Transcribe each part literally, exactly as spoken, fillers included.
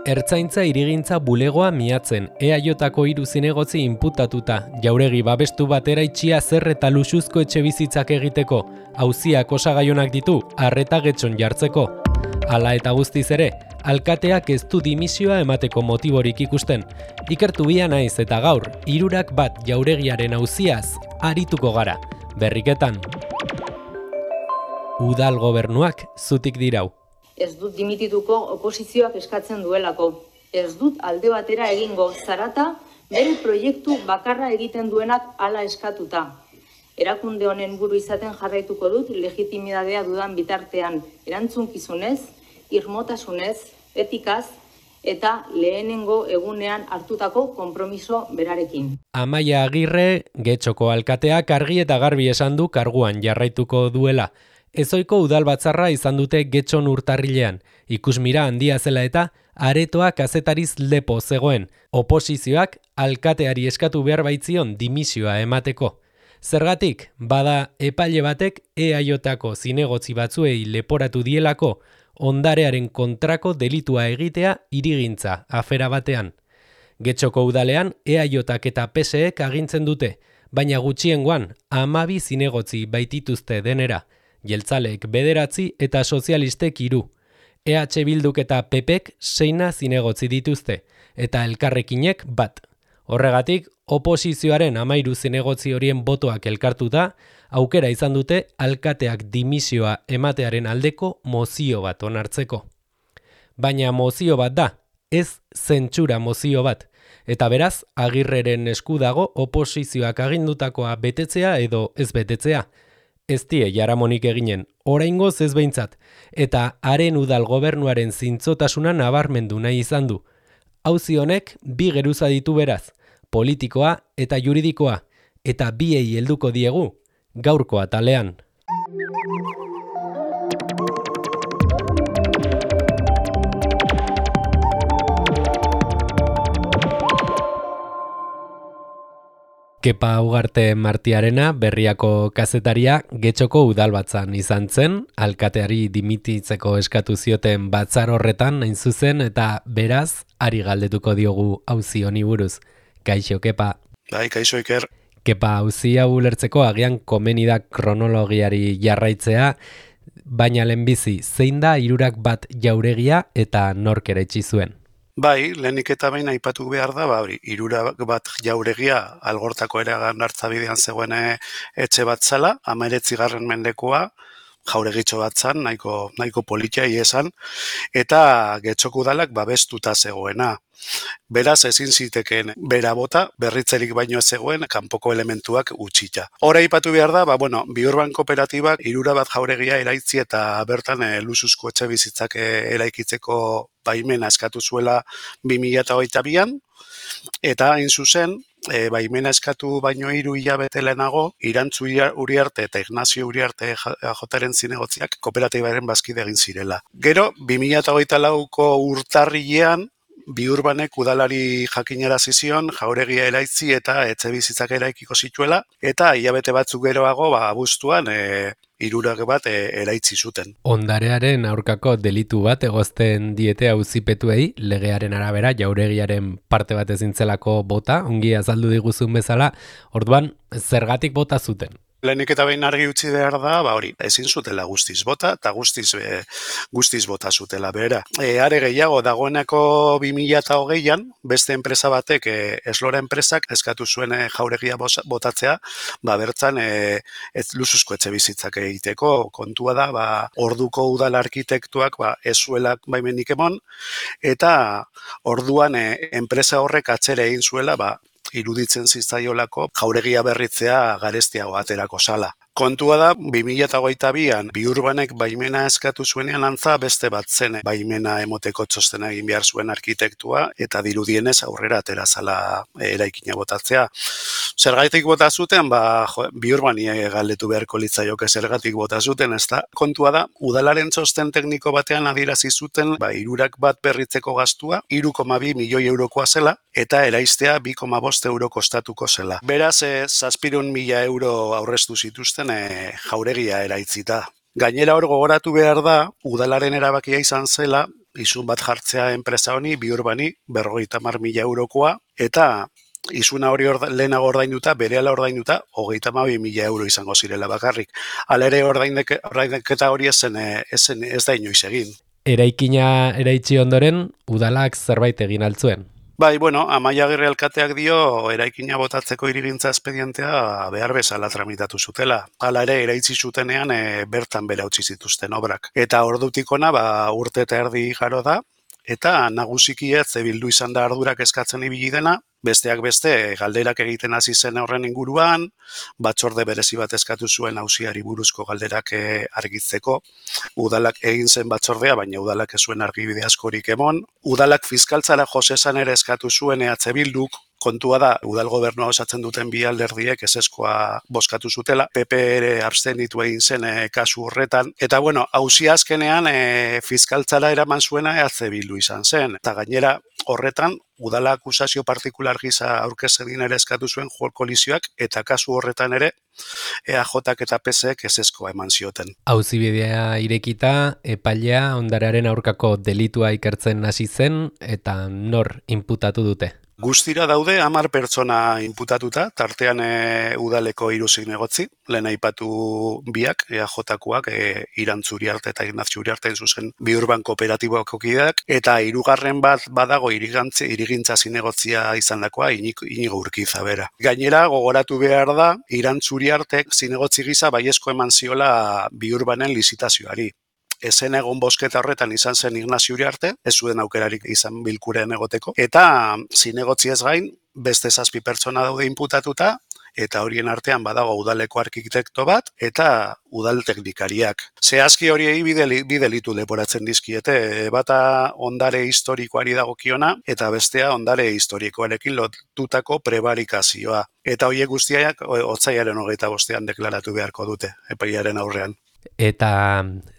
Ertzaintza hirigintza bulegoa miatzen, E A Jko hiru zinegotzi inputatuta, jauregi babestu batera itxia zer eta luxuzko etxe bizitzak egiteko, auziak osagaionak ditu, arreta getxon jartzeko. Hala eta guztiz ere, alkateak ez du dimisioa emateko motiborik ikusten. Ikertu bia naiz eta gaur, hirurak bat jauregiaren auziaz, arituko gara, berriketan. Udal gobernuak zutik dirau. Ez dut dimitituko oposizioak eskatzen duelako. Ez dut alde batera egingo zarata, bere proiektu bakarra egiten duenak hala eskatuta. Erakunde honen buru izaten jarraituko dut legitimidadea dudan bitartean, erantzunkizunez, irmotasunez, etikaz, eta lehenengo egunean hartutako konpromiso berarekin. Amaia Agirre, Getxoko alkateak argi eta garbi esan du karguan jarraituko duela. Ezoiko udalbatzarra izan dute Getxon urtarrilean, ikusmira handia zela eta aretoa kazetariz lepo zegoen, oposizioak alkateari eskatu behar baitzion dimisioa emateko. Zergatik, bada epaile batek E A Jko zinegotzi batzuei leporatu dielako ondarearen kontrako delitua egitea hirigintza afera batean. Getxoko udalean E A Jk eta P S Ek agintzen dute, baina gutxiengoan hamabi zinegotzi baitituzte denera. Jeltzalek bederatzi eta sozialistek hiru. E H Bilduk eta P Pek seina zinegotzi dituzte, eta elkarrekinek bat. Horregatik, oposizioaren hamairu zinegotzi horien botoak elkartuta, aukera izan dute alkateak dimisioa ematearen aldeko mozio bat onartzeko. Baina mozio bat da, ez zentsura mozio bat, eta beraz, Agirreren esku dago oposizioak agindutakoa betetzea edo ez betetzea. Ez die jaramonik eginen, oraingoz ez behintzat, eta haren udal gobernuaren zintzotasuna nabarmendu nahi izan du. Auzi honek bi geruza ditu beraz, politikoa eta juridikoa, eta biei helduko diegu, gaurko atalean. Kepa Ugarte Martiarena, Berriako kazetaria, Getxoko udalbatzan izan zen, alkateari dimititzeko eskatu zioten batzar horretan hain zuzen, eta beraz, ari galdetuko diogu auzi honi buruz. Kaixo, Kepa. Bai, kaixo Iker. Kepa, auzi hau ulertzeko agian komeni da kronologiari jarraitzea, baina lehenbizi, zein da hirurak bat jauregia eta nork eraitsi zuen? Bai, lehenik eta behin aipatu behar da, ba, hori, hirurak bat jauregia Algortako eragan hartzabidean zegoen etxe bat zela, hemeretzigarren mendekoa, jauregitxo bat zan, nahiko, nahiko politia esan, eta Getxoko udalak babestuta zegoena. Beraz ezin zitekeen bera bota, berritzerik baino ez zegoen, kanpoko elementuak utxita. Hora aipatu behar da, ba, bueno, Biurban kooperatibak hirura bat jauregia eraitzi eta bertan e, luxuzko etxe bizitzak e, eraikitzeko baimena eskatu zuela bi mila hogeita bian, eta hain zuzen, e, baimena eskatu baino hiru hilabete lehenago, Irantzu Uriarte eta Ignazio Uriarte jotaren zinegotziak kooperatibaren bazkide egin zirela. Gero, bi mila hogeita lauko urtarrilean, Biurbanek udalari jakinarazi zion jauregia eraitzi eta etxe bizitzak eraikiko zituela, eta hilabete batzuk geroago, ba, abuztuan, e, hirurak bat e, eraitzi zuten. Ondarearen aurkako delitu bat egozten diete auzipetuei, legearen arabera jauregiaren parte bat ezintzelako bota, ongi azaldu diguzun bezala, orduan zergatik bota zuten? Lehenik eta behin argi utzi behar da, ba hori, ezin zutela guztiz bota, eta guztiz, e, guztiz bota zutela bera. E, are gehiago, dagoeneko bi mila hogeian, beste enpresa batek, e, Eslora enpresak, eskatu zuen e, jauregia botatzea, ba bertzan, e, ez luzuzko etxe bizitzak egiteko, kontua da, ba, orduko udal arkitektuak, ba, ez zuelak baimenik emon, eta orduan e, enpresa horrek atzera egin zuela, ba, iruditzen zitzaiolako jauregia berritzea garestiago aterako sala. Kontua da, bi mila hogeita bian, Biurbanek baimena eskatu zuenean antza beste bat zen baimena emoteko txostena egin behar zuen arkitektua, eta dirudienez aurrera atera zala eraikina botatzea. Zergatik bota zuten, ba, jo, Biurbani galdetu beharko litzaioke zergatik bota zuten, ezta? Kontua da, udalaren txosten tekniko batean adierazi zuten, ba, hirurak bat berritzeko gastua, hiru koma bi milioi eurokoa zela, eta eraistea bi koma bost euro kostatuko zela. Beraz, e, zazpirun mila euro aurreztu zituzten e, jauregia eraitzita. Gainera hor gogoratu behar da, udalaren erabakia izan zela, isun bat jartzea enpresa honi, Biurbani, berrogeita hamar mila eurokoa, eta isuna hori orda, lehenago ordainduta, berehala ordainduta, hogeita hamabi mila euro izango zirela bakarrik. Hala ere ordainketa hori ezen, ezen, ez da inoiz egin. Eraikina eraitsi ondoren, udalak zerbait egin altzuen. Bai, bueno, Amaia Agirre alkateak dio eraikina botatzeko hirigintza espedientea behar bezala tramitatu zutela. Hala ere, eraitsi zutenean e, bertan bera utzi zituzten obrak. Eta ordutik ona, ba, urte eta erdi igaro da, eta nagusiki ez bildu izan da ardurak eskatzen ibili dena, besteak beste galderak egiten hasi zen horren inguruan, batzorde berezi bat eskatu zuen auziari buruzko galderak argitzeko, udalak egin zen batzordea, baina udalak ez zuen argibide askorik emon, udalak fiskaltzara josesan ere eskatu zuen E H Bilduk, kontua da, udal gobernua osatzen duten bi alderdiek ezeskoa bozkatu zutela, P P ere abstenitu egin zen e, kasu horretan, eta bueno, auzia azkenean e, fiskaltzara eraman zuena E H Bildu izan zen, eta gainera horretan, udala akusazio partikular gisa aurkezedin ere eskatu zuen kolizioak, eta kasu horretan ere E A Jak eta P S ek ezeskoa eman zioten. Auzibidea irekita, epailea ondarearen aurkako delitua ikertzen hasi zen, eta nor inputatu dute? Guztira daude hamar pertsona inputatuta, tartean e, udaleko hiru zinegotzi, lehen aipatu biak, E A Jakoak, e, Irantzuri arte eta Ignazuri arte zuzen Biurban kooperatiboako kideak, eta hirugarren bat badago irigantzi, irigintza zinegotzia izandakoa Inigo Urkiza bera. Gainera, gogoratu behar da, Irantzuri artek zinegotzi gisa baiezko eman ziola Biurbanen lizitazioari. Ezen egon bosketa horretan izan zen Ignazio Uriarte, ez zuen aukerarik izan bilkurean egoteko, eta zinegotzi ez gain, beste zazpi pertsona daude inputatuta, eta horien artean badago udaleko arkitekto bat, eta udal teknikariak. Zehazki horiei bi delitu leporatzen dizkiete, bata ondare historikoari dagokiona, eta bestea ondare historikoarekin lotutako prebarikazioa. Eta horiek guztiak otsaiaren hogeita bostean deklaratu beharko dute, epaiaren aurrean. Eta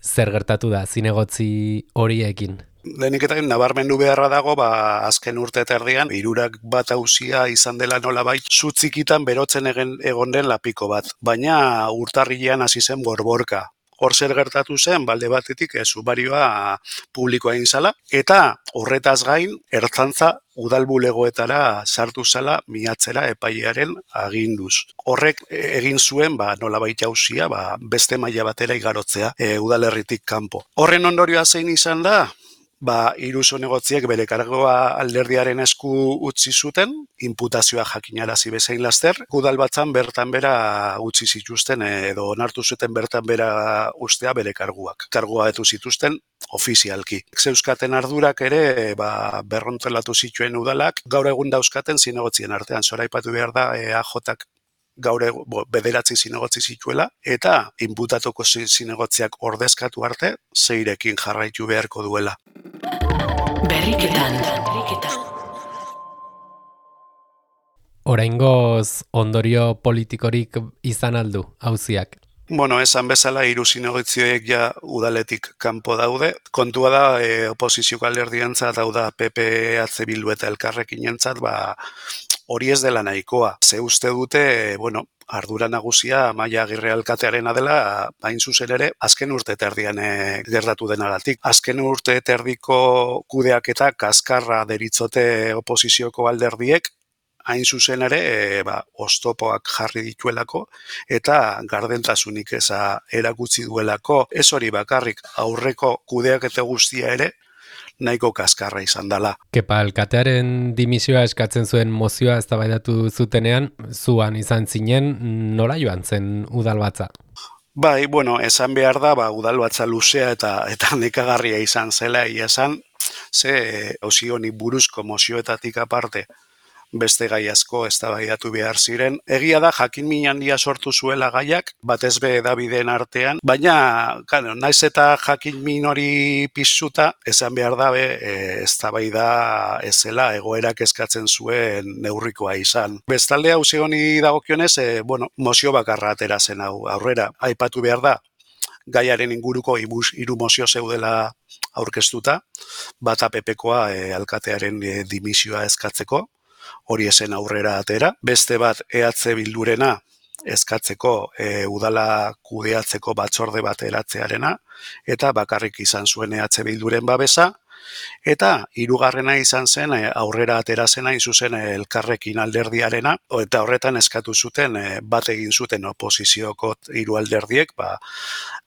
zer gertatu da zinegotzi horiekin? Lehenik eta nabarmendu beharra dago, ba, azken urte eta erdian, hirurak bat auzia izan dela nolabait, zutzikitan berotzen egen, egon den lapiko bat. Baina urtarrilean hasi zen borborka. Hor zer gertatu zen, balde batetik ez ubarioa publikoa egin zala, eta horretaz gain, ertzantza udalbulegoetara sartu zala miatzera epailearen aginduz. Horrek egin zuen, ba, nolabait auzia, ba, beste maila batera igarotzea e, udalerritik kanpo. Horren ondorioa zein izan da? Ba, hiru zinegotziek bere kargoa alderdiaren esku utzi zuten, inputazioa jakinarazi bezain laster, udalbatzan bertan bera utzi zituzten edo onartu zuten bertan bera ustea bere karguak. Kargua etu zituzten ofizialki. Zeuskaten ardurak ere ba, berrontelatu zituen udalak, gaur egun dauzkaten zinegotzien artean. Zoraipatu behar da E A Jak gaur bo, bederatzi zinegotzi zituela, eta inputatuko zinegotziak ordezkatu arte, zeirekin jarraitu beharko duela. Berriketan. Oraingoz ondorio politikorik izan aldu, auziak? Bueno, esan bezala hiru zinegotziek ja udaletik kanpo daude. Kontua da, e, oposizioko alderdientzat, hau da P P, E H Bildu eta Elkarrekinentzat, ba, hori ez dela nahikoa. Ze uste dute, bueno, ardura nagusia Amaia Agirre alkatearena dela, hain zuzen ere, azken urte terdian e, gertatu denagatik. Azken urte terdiko kudeak eta kaskarra deritzote oposizioko alderdiek, hain zuzen ere, e, ba, oztopoak jarri dituelako, eta gardentasunik eza erakutsi duelako, ez hori bakarrik aurreko kudeak eta guztia ere, nahiko kaskarra izan dela. Kepa alkatearen dimisioa eskatzen zuen mozioa eztabaidatu zutenean, zuan izan zinen, nola joan zen udalbatza? Bai, bueno, esan behar da, ba, udalbatza luzea eta eta nekagarria izan zela, ia esan, ze auzi honi buruzko mozioetatik aparte, beste gai asko eztabaidatu behar ziren. Egia da, jakin min handia sortu zuela gaiak, batez be Dabiden artean, baina, claro, naiz eta jakin min hori piztuta, esan behar da, be, e, eztabaida ezela egoerak eskatzen zuen neurrikoa izan. Bestalde auzi honi dagokionez, e, bueno, mozio bakarra atera zen hau aurrera. Aipatu behar da, gaiaren inguruko hiru mozio zeudela aurkeztuta, bata P Pkoa e, alkatearen e, dimisioa eskatzeko, hori esen aurrera atera. Beste bat E H Bildurena eskatzeko e, udala kudeatzeko batzorde bat eratzearena, eta bakarrik izan zuen E H Bilduren babesa, Eta hirugarrena izan zen aurrera atera zena izuzen Elkarrekin alderdiarena, eta horretan eskatu zuten bat egin zuten oposizioko hiru alderdiek, ba,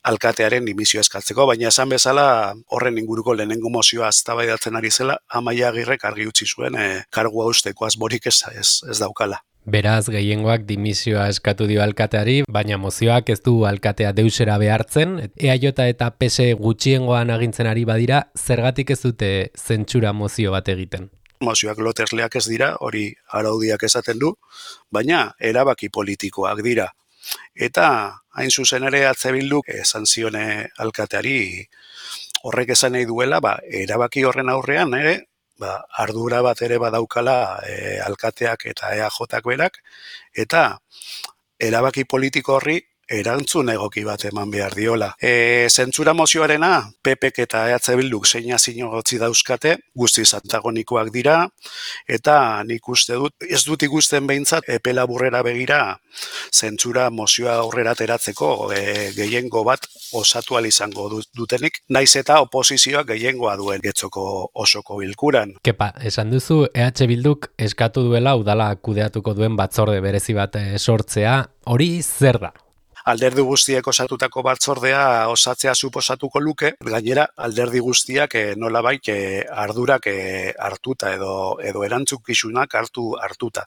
alkatearen dimisio eskatzeko, baina esan bezala horren inguruko lehenengo mozioa eztabaidatzen ari zela, Amaia Agirrek argi utzi zuen e, kargua usteko asmorik ez, ez, ez daukala. Beraz, gehiengoak dimisioa eskatu dio alkateari, baina mozioak ez du alkatea deusera behartzen. E A J eta P S gutxiengoan agintzen ari badira, zergatik ez dute zentsura mozio bat egiten? Mozioak lotesleak ez dira, hori araudiak esaten du, baina erabaki politikoak dira. Eta hain zuzen ere H Bilduk esan zione alkateari horrek esan nahi duela, ba, erabaki horren aurrean ere, ba, ardura bat ere badaukala e, alkateak eta E A Jak berak, eta erabaki politiko horri erantzun egoki bat eman behar diola. E, zentsura mozioarena, P Pek eta E H Bilduk zeina zinogotzi dauzkate, guztiz antagonikoak dira, eta nik uste dut, ez dut ikusten behintzat, epe laburrera begira, zentsura mozioa aurrera ateratzeko e, gehiengo bat osatu ahal izango dutenik, naiz eta oposizioak gehiengoa duen Getxoko osoko bilkuran. Kepa, esan duzu E H Bilduk eskatu duela udala kudeatuko duen batzorde berezi bat sortzea, hori zer da? Alderdi guztiek osatutako batzordea osatzea suposatuko luke, gainera alderdi guztiak e, nolabait e, ardurak e, hartuta edo edo erantzukizunak hartu hartuta.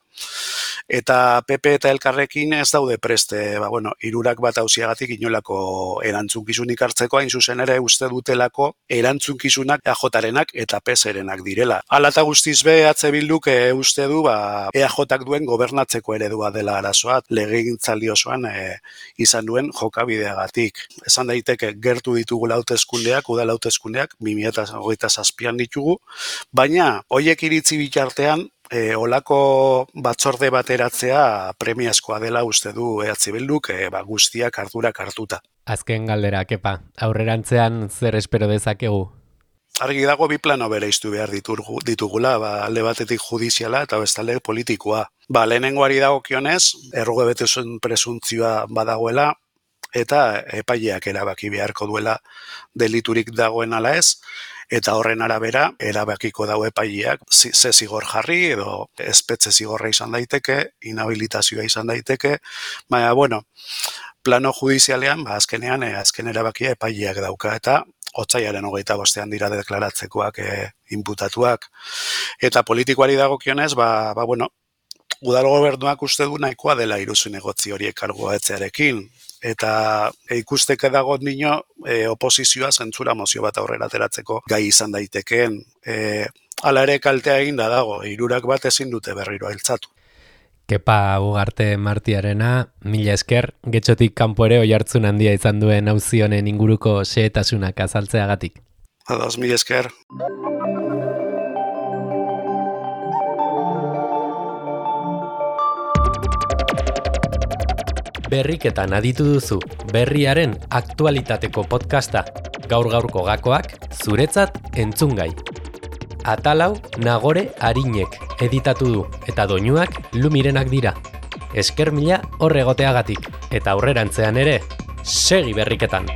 Eta P P eta Elkarrekin ez daude preste, ba bueno, hirurak bat auziagatik inolako erantzukizunik hartzeko, hain zuzen ere uste dutelako erantzukizunak E A Jarenak eta P Serenak direla. Hala eta guztiz be H Bilduk e, uste du ba E A Jak duen gobernatzeko eredua dela arazoa, legegintzaldi osoan e, izan duen jokabideagatik. Esan daiteke gertu ditugu hauteskundeak, udal hauteskundeak bi mila hogeita zazpian ditugu, baina hoiek iritzi bitartean E, olako batzorde bateratzea premiazkoa dela uste du E H Bilduk e, ba, guztiak ardurak hartuta. Azken galdera, Kepa, aurrerantzean zer espero dezakegu? Argi dago bi plano bereiztu behar ditugu, ditugula, ba, alde batetik judiziala eta bestalde politikoa. Ba, lehenengoari dagokionez, errugebetasun presuntzioa badagoela, eta epaileak erabaki beharko duela deliturik dagoen ala ez, eta horren arabera erabakiko dago epaileak ze zigor jarri edo espetxe zigorra izan daiteke, inhabilitazioa izan daiteke, baina, bueno, plano judizialean, ba, azkenean, e, azken erabakia epaileak dauka, eta otsaiaren hogeita bostean dira deklaratzekoak e, inputatuak. Eta politikoari dagokionez, ba, ba, bueno, udal gobernuak uste du nahikoa dela iruzun egotzi horiek kargua etzearekin, eta e, ikusteke dago nino e, oposizioa zentsura mozio bat aurrera ateratzeko gai izan daitekeen. E, hala ere kaltea egin da dago, hirurak bat ezin dute berriro hiltzatu. Kepa Ugarte Martiarena, mila esker, Getxotik kanpo ere oihartzun handia izan duen auzi honen inguruko xehetasunak azaltzeagatik. Ados, mila esker. Berriketan aditu duzu, berriaren aktualitateko podcasta, gaur-gaurko gakoak, zuretzat entzungai. Atalau Nagore Arinek editatu du, eta doinuak Lumirenak dira. Esker mila horregoteagatik, eta aurrerantzean ere, segi berriketan!